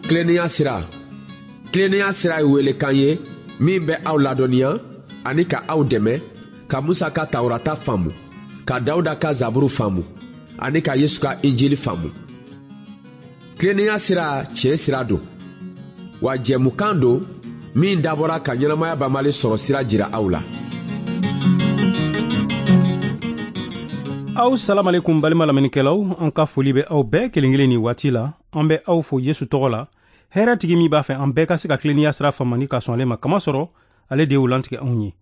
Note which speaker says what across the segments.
Speaker 1: Tilennenya sira. Tilennenya sira ye welekan ye min bɛ aw ladɔnniya ani ka aw dɛmɛ ka Musa ka Tawurata faamu, ka Dawuda ka Zaburu faamu ani ka Yesu ka Injili faamu. Tilennenya sira tiɲɛ sira don, wa jɛmukan don min dabɔra ka ɲɛnamaya banbali sɔrɔ sira jira aw la.
Speaker 2: Aw salamalekum balima lamɛnnikɛlaw, an ka foli bɛ aw bɛɛ kelen kelen nin waati la. An bɛ aw fo Yesu tɔgɔ la, hɛrɛ tigi min b'a fɛ an bɛɛ ka se ka tilennenya sira faamu ni ka sɔn ale ma, kamasɔrɔ ale de y'o lantigɛ anw ye.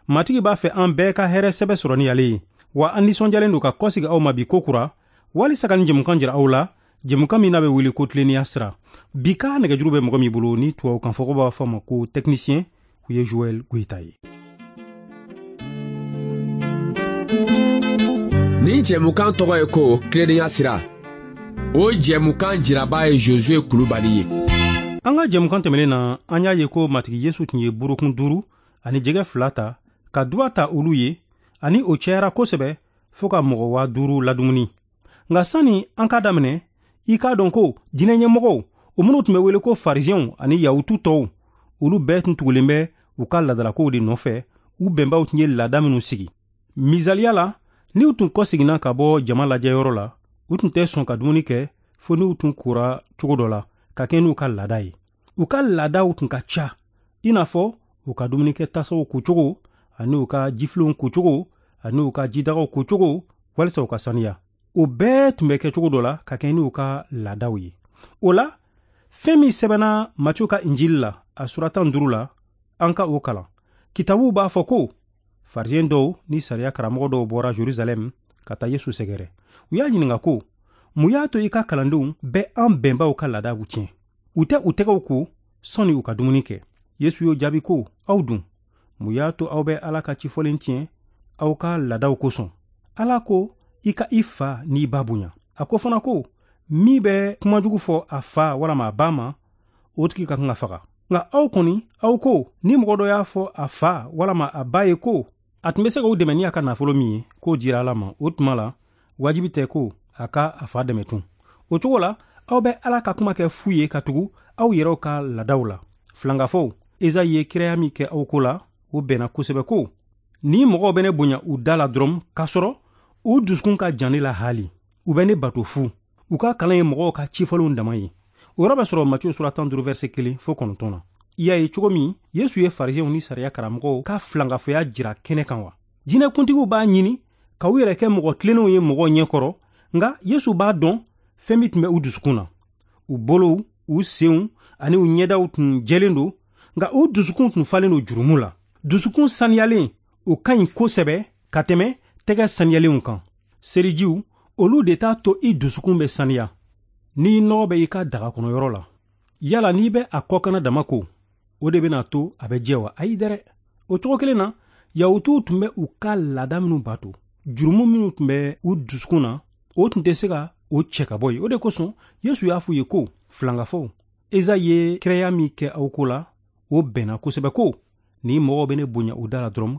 Speaker 2: Matigi b'a fɛ an bɛɛ ka hɛrɛ sɛbɛ sɔrɔ ni ale ye. Wa an nisɔndiyalen don ka kɔsigi aw ma bi kokura, walisa ka nin jɛmukan jira aw la, jɛmukan min n'a bɛ wele ko tilennenya sira. Bi ka nɛgɛjuru bɛ mɔgɔ min bolo ni tubabukan fɔko b'a fɔ ma ko technicien, o ye Joël Goïta ye.
Speaker 1: Nin jɛmukan tɔgɔ ye ko tilennenya sira. O jɛmukan jiraba ye Josué Kulubali ye.
Speaker 2: An ka jɛmukan tɛmɛnen na, an y'a ye ko Matigi Yesu tun ye burukun 5 ani jɛgɛ 2 ta ka duba ta olu ye, ani o cayara kosɛbɛ fo ka mɔgɔ 5000 ladumuni. Nka sani an k'a daminɛ, i k'a dɔn ko diinɛ ɲɛmɔgɔw, o minnu tun bɛ wele ko farisiyɛnw ani yahutu tɔw, olu bɛɛ tun tugulen bɛ u ka laadalakow de nɔfɛ, u bɛnbaw tun ye laada minnu sigi. Misaliya la, n'u tun kɔseginna ka bɔ jama lajɛyɔrɔ la, u tun tɛ sɔn ka dumuni kɛ fo n'u tun kora cogo dɔ la ka kɛ n'u ka laada ye. U ka laadaw tun ka ca, i n'a fɔ u ka dumunikɛ tasaw kocogo, ani u ka jifilenw kocogo, ani u ka jidagaw kocogo, walisa u ka saniya. O bɛɛ tun bɛ kɛ cogo dɔ la ka kɛ n'u ka laadaw ye. O la, fɛn min sɛbɛnna Matiyu ka Injili la, a sura 15 la, an ka o kalan. Kitabuw b'a fɔ ko farisiyɛn dɔw ni sariya karamɔgɔ dɔw bɔra Jerusalɛm ka taa Yesu sɛgɛrɛ. U y'a ɲininka ko, mun y'a to i ka kalandenw bɛ an bɛnbaw ka laadaw tiɲɛ? U tɛ u tɛgɛw ko sɔnni u ka dumuni kɛ. Yesu y'o jaabi ko, aw dun, mun y'a to aw bɛ Ala ka cifɔlen tiɲɛ aw ka laadaw kosɔn? Ala ko, i ka i fa n'i ba bonya. A ko fana ko, min bɛ kumajugu fɔ a fa walama a ba ma, o tigi ka kan ka faga. Nka aw kɔni, aw ko, ni mɔgɔ dɔ y'a fɔ a fa walama a ba ye ko a tun bɛ se k'o dɛmɛ ni a ka nafolo min ye, k'o dira Ala ma, o tuma la, wajibi tɛ ko a ka a fa dɛmɛ tun. O cogo la, aw bɛ Ala ka kuma kɛ fu ye ka tugu aw yɛrɛw ka laadaw la. Filankafow, Ezayi ye kiraya min kɛ aw ko la, o bɛnna kosɛbɛ ko, ni mɔgɔw bɛ ne bonya u da la dɔrɔn, k'a sɔrɔ u dusukun ka jan ne la haali. U bɛ ne bato fu. U ka kalan ye mɔgɔw ka cifɔlenw dama ye. O yɔrɔ bɛ sɔrɔ Matiyu sura 15 verset 1 fo 9 na. I y'a ye cogo min Yesu ye farisiyɛnw ni sariya karamɔgɔw ka filankafoya jira kɛnɛ kan wa? Diinɛkuntigiw b'a ɲini ka u yɛrɛ kɛ mɔgɔ tilennenw ye mɔgɔw ɲɛkɔrɔ, nka Yesu b'a dɔn fɛn min tun bɛ u dusukun na. U bolow, u senw ani u ɲɛdaw tun jɛlen don, nka u dusukun tun falen don jurumu la. Dusukun saniyalen, o ka ɲi kosɛbɛ ka tɛmɛ tɛgɛ saniyalenw kan. Selijiw, olu de t'a to i dusukun bɛ saniya. N'i nɔgɔ bɛ i ka daga kɔnɔyɔrɔ la, yala n'i bɛ a kɔkanna dama ko, o de bɛna to a bɛ jɛ wa? Ayi dɛrɛ. O cogo kelen na, Yahutuw tun bɛ u ka laada minnu bato, jurumu minnu tun bɛ u dusukun na, o tun tɛ se ka o cɛ ka bɔ yen. O de kosɔn Yesu y'a f'u ye ko, filankafow, Ezayi ye kiraya min kɛ aw ko la, o bɛnna kosɛbɛ ko, ni mɔgɔw bɛ ne bonya u da la dɔrɔn,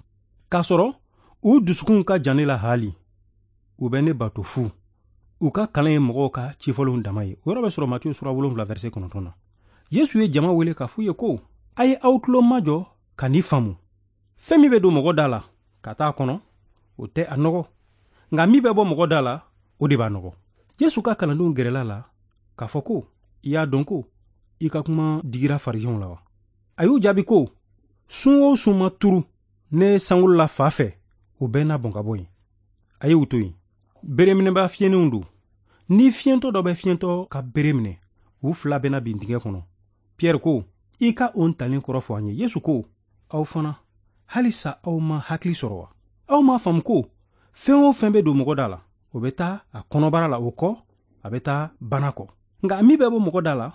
Speaker 2: k'a sɔrɔ u dusukun ka jan ne la haali, u bɛ ne bato fu. U ka kalan ye mɔgɔw ka cifɔlenw dama ye. O yɔrɔ bɛ sɔrɔ Matiyu sura 7 verset 9 na. Yesu ye jama wele k'a f'u ye ko, a ye aw tulo majɔ ka nin faamu. Fɛn min bɛ don mɔgɔ da la ka taa a kɔnɔ, o tɛ a nɔgɔ, nka min bɛ bɔ mɔgɔ da la, o de b'a nɔgɔ. Yesu ka kalandenw gɛrɛla la k'a fɔ ko, i y'a dɔn ko i ka kuma digira farisiyɛnw la wa? A y'u jaabi ko, sun o sun ma turu ne sankolo la fa fɛ, o bɛɛ n'a bɔn ka bɔ yen. A y'u to yen. Bereminɛba fiyenenw don. Ni fiyentɔ dɔ bɛ fiyentɔ ka bere minɛ, u fila bɛna bin dingɛ kɔnɔ. Pierre ko, i ka o ntalen kɔrɔ fɔ an ye. Yesu ko, aw fana, halisa aw ma hakili sɔrɔ wa? Aw m'a faamu ko fɛn o fɛn bɛ don mɔgɔ da la, o bɛ taa a kɔnɔbara la, o kɔ, a bɛ taa bana kɔ. Nka min bɛ bɔ mɔgɔ da la,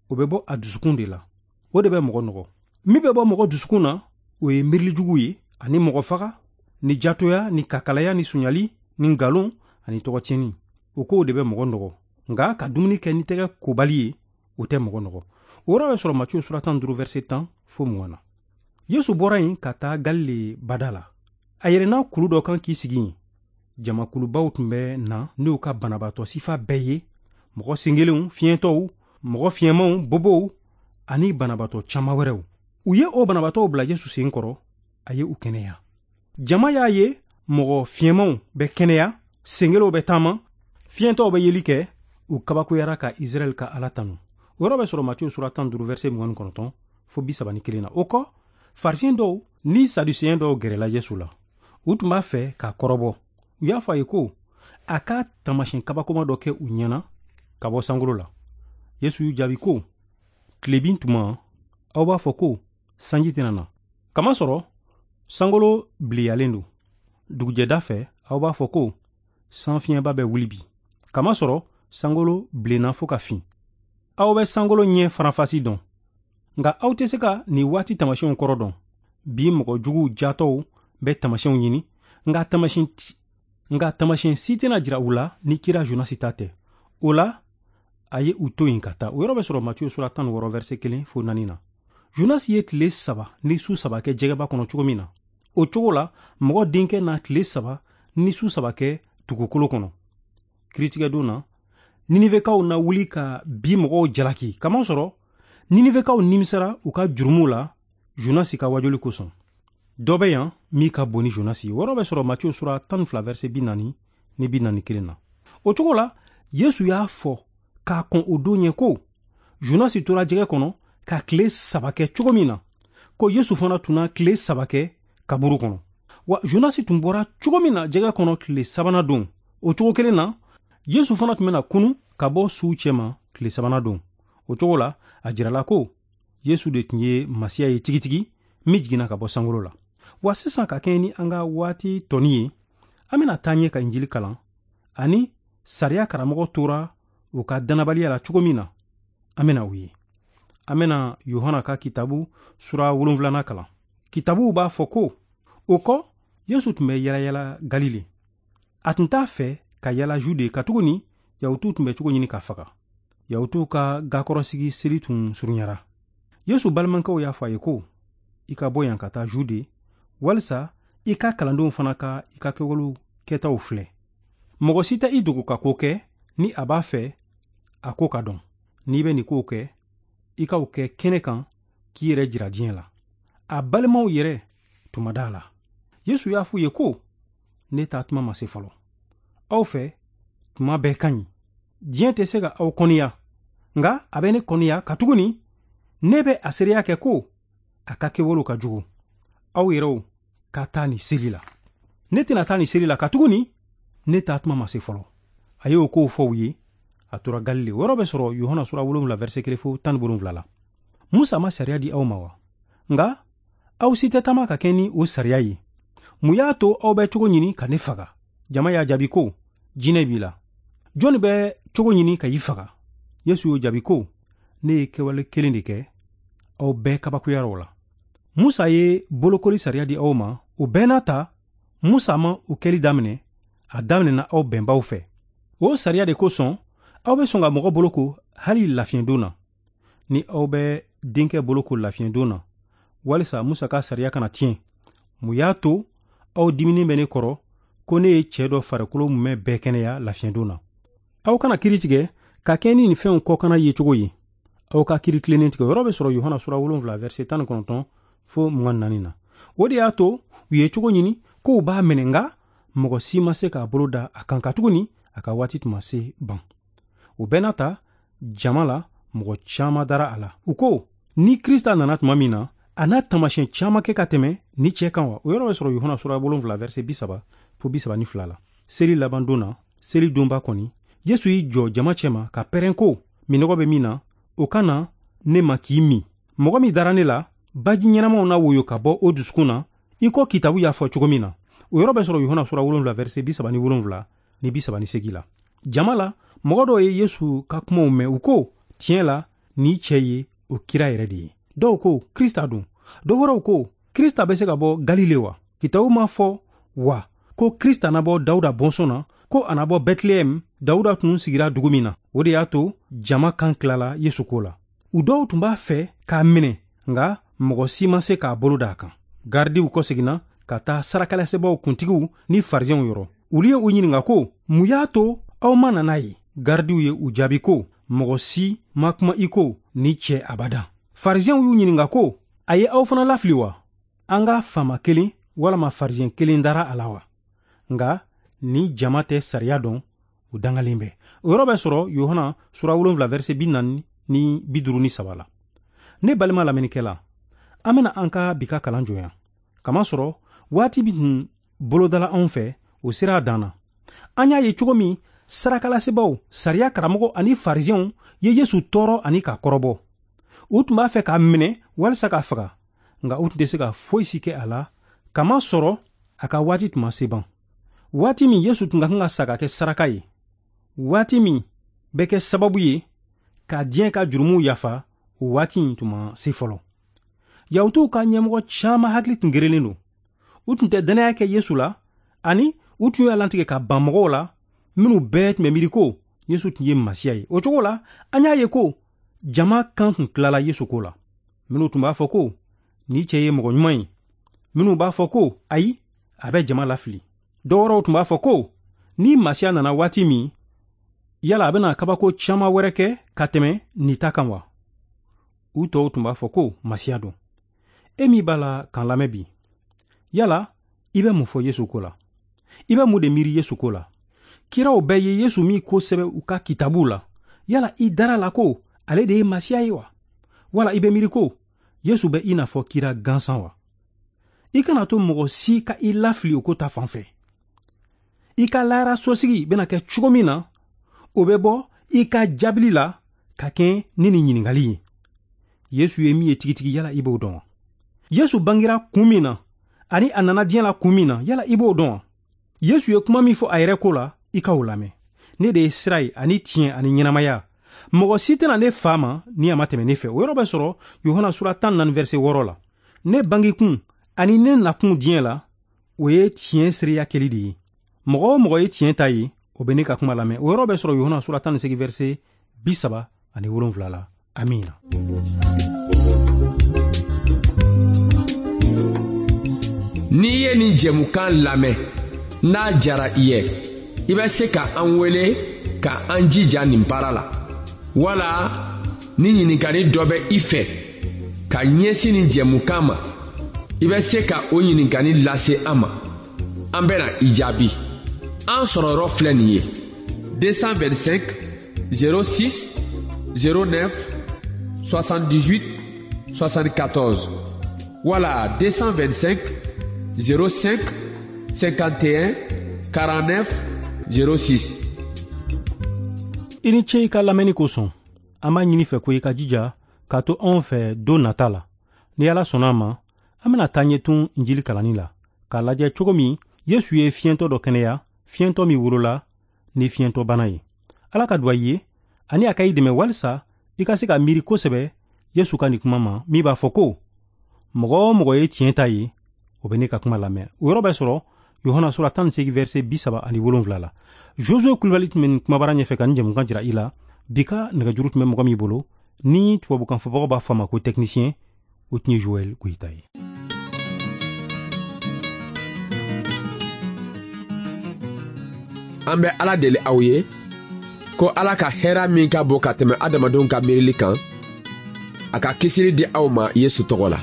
Speaker 2: o bɛ bɔ a dusukun de la. O de bɛ mɔgɔ nɔgɔ. Min bɛ bɔ mɔgɔ dusukun na, o ye miirilijugu ye, ani mɔgɔ faga, ni jatoya, ni kakalaya, ni suɲali, ni nkalon, ani tɔgɔtiɲɛni. O kow de bɛ mɔgɔ nɔgɔ. Nka ka dumuni kɛ ni tɛgɛ kobali ye, o tɛ mɔgɔ nɔgɔ. O yɔrɔ bɛ sɔrɔ Matiyu sura 15 verset 10 fo 20 na. Yesu bɔra yen ka taa Galile bada la. A yɛlɛnna kulu dɔ kan k'i sigi yen. Jamakulubaw tun bɛ na n'u ka banabaatɔ sifa bɛɛ ye, mɔgɔ senkelenw, fiɲɛtɔw, mɔgɔ fiɲɛmanw, bobow ani banabaatɔ caman wɛrɛw. U ye o banabaatɔw bila Yesu sen kɔrɔ, a ye u kɛnɛya. Jama y'a ye mɔgɔ fiɲɛmanw bɛ kɛnɛya, senkelew bɛ taama, fiɲɛtɔw bɛ yeli kɛ, u kabakoyara ka Israɛl ka Ala tanu. O yɔrɔ bɛ sɔrɔ Matiyu sura 15 verset 29 fo 31 na. O kɔ, Farisiyɛn dɔw ni Saduseyɛn dɔw gɛrɛla Yesu la. U tun b'a fɛ k'a kɔrɔbɔ. U y'a fɔ a ye ko a ka taamasiyɛn kabakoma dɔ kɛ u ɲɛna ka bɔ sankolo la. Yesu y'u jaabi ko, tilebin tuma, aw b'a fɔ ko sanji tɛna na. Kamasɔrɔ sankolo bileyalen don. Dugujɛda fɛ, aw b'a fɔ ko sanfiɲɛba bɛ wuli bi. Kamasɔrɔ sankolo bilenna fo ka fin. Aw bɛ sankolo ɲɛ faranfasi dɔn. Nka aw tɛ se ka nin waati taamasiyɛnw kɔrɔ dɔn. Bi mɔgɔ juguw jatɔw bɛ taamasiyɛnw ɲini, nka taamasiyɛn si tɛna jira u la ni kira Jonasi ta tɛ. O la, a ye u to yen ka taa. O yɔrɔ bɛ sɔrɔ Matiyu sura 16 verset 1 fo 4 na. Jonasi ye tile 3 ni su 3 kɛ jɛgɛba kɔnɔ cogo min na, o cogo la mɔgɔ denkɛ na tile 3 ni su 3 kɛ dugukolo kɔnɔ. Kiritigɛdon na, Ninivekaw na wuli ka bi mɔgɔw jalaki, kamasɔrɔ Ninivekaw nimisara u ka jurumuw la Jonasi ka wajuli kosɔn. Dɔ bɛ yan min ka bon ni Jonasi ye. O yɔrɔ bɛ sɔrɔ Matiyu sura 12 verset 40 ni 41 na. O cogo la, Yesu y'a fɔ k'a kɔn o don ɲɛ ko Jonasi tora jɛgɛ kɔnɔ ka tile 3 kɛ cogo min na, ko Yesu fana tun na tile 3 kɛ kaburu kɔnɔ. Wa Jonasi tun bɔra cogo min na jɛgɛ kɔnɔ tile 3nan don, o cogo kelen na, Yesu fana tun bɛna kunu ka bɔ suw cɛma tile 3nan don. O cogo la, a jirala ko Yesu de tun ye Masiya ye tigitigi min jiginna ka bɔ sankolo la. Wa sisan ka kɛɲɛ ni an ka waati tɔni ye, an bɛna taa ɲɛ ka Injili kalan ani sariya karamɔgɔ tora u ka dannabaliya la cogo min na, an bɛna o ye. An bɛna Yohana ka kitabu sura 7nan kalan. Kitabuw b'a fɔ ko o kɔ, Yesu tun bɛ yalayala Galile. A tun t'a fɛ ka yala Jude, katuguni Yahutuw tun bɛ cogo ɲini k'a faga. Yahutuw ka gakɔrɔsigi seli tun surunyara. Yesu balimakɛw y'a fɔ a ye ko, i ka bɔ yan ka taa Jude, walisa i ka kalandenw fana ka i ka kɛwalew kɛtaw filɛ. Mɔgɔ si tɛ i dogo ka ko kɛ ni a b'a fɛ a ko ka dɔn. N'i bɛ nin kow kɛ, i k'aw kɛ kɛnɛ kan k'i yɛrɛ jira diɲɛ la. A balimaw yɛrɛ tun ma da a la. Yesu y'a f'u ye ko, ne taa tuma ma se fɔlɔ. Aw fɛ, tuma bɛɛ ka ɲi. Diɲɛ tɛ se ka aw kɔniya, nka a bɛ ne kɔniya katuguni ne bɛ a seereya kɛ ko a ka kɛwalew ka jugu. Aw yɛrɛw ka taa nin seli la. Ne tɛna taa nin seli la katuguni ne taa tuma ma se fɔlɔ. A y'o kow fɔ u ye, a tora Galile. O yɔrɔ bɛ sɔrɔ Yohana sura 7 verset 1 fo 17 la. Musa ma sariya di aw ma wa? Nka aw si tɛ taama ka kɛ ni o sariya ye. Mun y'a to aw bɛ cogo ɲini ka ne faga? Jama y'a jaabi ko, jinɛ b'i la. Jɔnni bɛ cogo ɲini ka i faga? Yesu y'o jaabi ko, ne ye kɛwale kelen de kɛ, aw bɛɛ kabakoyara o la. Musa ye bolokoli sariya di aw ma, o bɛɛ n'a ta, Musa ma o kɛli daminɛ, a daminɛna aw bɛnbaw fɛ. O sariya de kosɔn, aw bɛ sɔn ka mɔgɔ boloko hali lafiɲɛdon na. Ni aw bɛ denkɛ boloko lafiɲɛdon na, walisa Musa ka sariya kana tiɲɛ. Mun y'a to aw diminen bɛ ne kɔrɔ ko ne ye cɛ dɔ farikolo mumɛ bɛɛ kɛnɛya lafiɲɛdon na? Aw kana kiri tigɛ ka kɛ ni nin fɛnw kɔkanna ye cogo ye. Aw ka kiri tilennen tigɛ. O yɔrɔ bɛ sɔrɔ Yohana sura 7 verset 19 fo 24 na. O de y'a to u ye cogo ɲini k'u b'a minɛ, nka mɔgɔ si ma se k'a bolo da a kan katuguni a ka waati tun ma se ban. O bɛɛ n'a ta, jama la mɔgɔ caman dara a la. U ko, ni Krista nana tuma min na, a n'a taamasiyɛn caman kɛ ka tɛmɛ ni cɛ kan wa? O yɔrɔ bɛ sɔrɔ Yohana sura 7 verset 30 fo 32 la. Seli laban don na, seli donba kɔni, Yesu y'i jɔ jama cɛma ka pɛrɛn ko, minɔgɔ bɛ min na, o ka na ne ma k'i min. Mɔgɔ min dara ne la, baji ɲɛnamaw na woyo ka bɔ o dusukun na, i ko kitabu y'a fɔ cogo min na. O yɔrɔ bɛ sɔrɔ Yohana sura 7 verset 37 ni 38 la. Jama la, mɔgɔ dɔw ye Yesu ka kumaw mɛn, u ko, tiɲɛ la, nin cɛ ye o kira yɛrɛ de ye. Dɔw ko, Krista don. Dɔw wɛrɛw ko, Krista bɛ se ka bɔ Galile wa? Kitabu ma fɔ wa ko Krista na bɔ Dawuda bɔnsɔn na, ko a na bɔ Bɛtilɛhɛm, Dawuda tun sigira dugu min na. O de y'a to jama kan tilala Yesu ko la. U dɔw tun b'a fɛ k'a minɛ, nka mɔgɔ si ma se k'a bolo da a kan. Garidiw kɔseginna ka taa sarakalasebaaw kuntigiw ni farisɛnw yɔrɔ. Olu ye u ɲininka ko, mun y'a to aw ma na n'a ye? Garidiw ye u jaabi ko, Mɔgɔ si ma kuma i ko ni cɛ abada. Farisiyɛnw y'u ɲininka ko, a ye aw fana lafili wa? An ka faama kelen walama farisiyɛn kelen dara a la wa? Nka ni jama tɛ sariya dɔn, u dangalen bɛ. O yɔrɔ bɛ sɔrɔ Yohana sura 7 verset 40 ni 53 la. Ne balima lamɛnnikɛla, an bena an ka bi ka kalan jɔ yan, kamasɔrɔ waati min tun bolodala anw fɛ, o sera a dan na. An y'a ye cogo min sarakalasebaaw, sariya karamɔgɔ ani farisiyɛnw ye Yesu tɔɔrɔ ani k'a kɔrɔbɔ. U tun b'a fɛ k'a minɛ walisa k'a faga, nka u tun tɛ se ka foyi si kɛ a la, kamasɔrɔ a ka waati tun ma se ban. Waati min Yesu tun ka kan ka sa ka kɛ saraka ye, waati min bɛ kɛ sababu ye ka diɲɛ ka jurumuw yafa, o waati in tun ma se fɔlɔ. Yahutuw ka ɲɛmɔgɔ caman hakili tun gerelen don. U tun tɛ dannaya kɛ Yesu la, ani u tun y'a lantigɛ ka ban mɔgɔw la minnu bɛɛ tun bɛ miiri ko Yesu tun ye Masiya ye. O cogo la, an y'a ye ko jama kan tun tilala Yesu ko la. Minnu tun b'a fɔ ko ni cɛ ye mɔgɔ ɲuman ye, minnu b'a fɔ ko ayi, a bɛ jama lafili. Dɔw wɛrɛw tun b'a fɔ ko ni Masiya nana waati min, yala a bɛna kabako caman wɛrɛ kɛ ka tɛmɛ nin ta kan wa? U tɔw tun b'a fɔ ko Masiya don. E min b'a la k'an lamɛn bi, yala i bɛ mun fɔ Yesu ko la? I bɛ mun de miiri Yesu ko la? Kiraw bɛɛ ye Yesu min ko sɛbɛ u ka kitabuw la, yala i dara la ko ale de ye Masiya ye wa? Wala i bɛ miiri ko Yesu bɛ i n'a fɔ kira gansan wa? I kana to mɔgɔ si ka i lafili o ko ta fan fɛ. I ka lahara sosigi bɛna kɛ cogo min na, o bɛ bɔ i ka jaabili la ka kɛ ni nin ɲininkali ye: Yesu ye min ye tigitigi, yala i b'o dɔn wa? Yesu bangera kun min na ani a nana diɲɛ la kun min na, yala i b'o dɔn wa? Yesu ye kuma min fɔ a yɛrɛ ko la, i k'o lamɛn: Ne de ye sira ye ani tiɲɛ ani ɲɛnamaya. Mɔgɔ si tɛna ne fa ma ni a ma tɛmɛ ne fɛ. O yɔrɔ bɛ sɔrɔ Yohana sura 14 verset 6 la. Ne bangekun ani ne nakun diɲɛ la, o ye tiɲɛ seereya kɛli de ye. Mɔgɔ o mɔgɔ ye tiɲɛ ta ye, o bɛ ne ka kuma lamɛn. O yɔrɔ bɛ sɔrɔ Yohana sura 18 verset 37 la. Amina.
Speaker 1: N'i ye nin jɛmukan lamɛn, n'a jara i ye, i bɛ se ka an wele ka an jija nin baara la, wala ni ɲininkali dɔ bɛ i fɛ ka ɲɛsin nin jɛmukan ma, i bɛ se ka o ɲininkali lase an ma, an bɛna i jaabi. An sɔrɔ yɔrɔ filɛ nin ye: 225 06 09 78 74 wala 225 05 51 49 06.
Speaker 2: I ni ce i ka lamɛnni kosɔn. An b'a ɲini fɛ ko i ka jija k'a to anw fɛ don nata la. Ni Ala sɔnna a ma, an bɛna taa ɲɛ tun Injili kalanni la, k'a lajɛ cogo min Yesu ye fiɲɛtɔ dɔ kɛnɛya, fiɲɛtɔ min wolola ni fiɲɛtɔbana ye. Ala ka duwa i ye ani a ka i dɛmɛ walisa i ka se ka miiri kosɛbɛ Yesu ka nin kuma ma min b'a fɔ ko mɔgɔ o mɔgɔ ye tiɲɛ ta ye, o bɛ ne ka kuma lamɛn. O yɔrɔ bɛ sɔrɔ Yohana sura 18 verset 37 la. Josue Kulibali tun bɛ nin kumabara ɲɛfɛ ka nin jɛmukan jira i la. Bi ka nɛgɛjuru tun bɛ mɔgɔ min bolo, ni tubabukan fɔbagaw b'a fɔ a ma ko technicien, o tun ye Joel Goyita ye.
Speaker 1: An bɛ Ala deli aw ye ko Ala ka hɛra min ka bon ka tɛmɛ adamadenw ka miirili kan, a ka kisili di aw ma Yesu tɔgɔ la.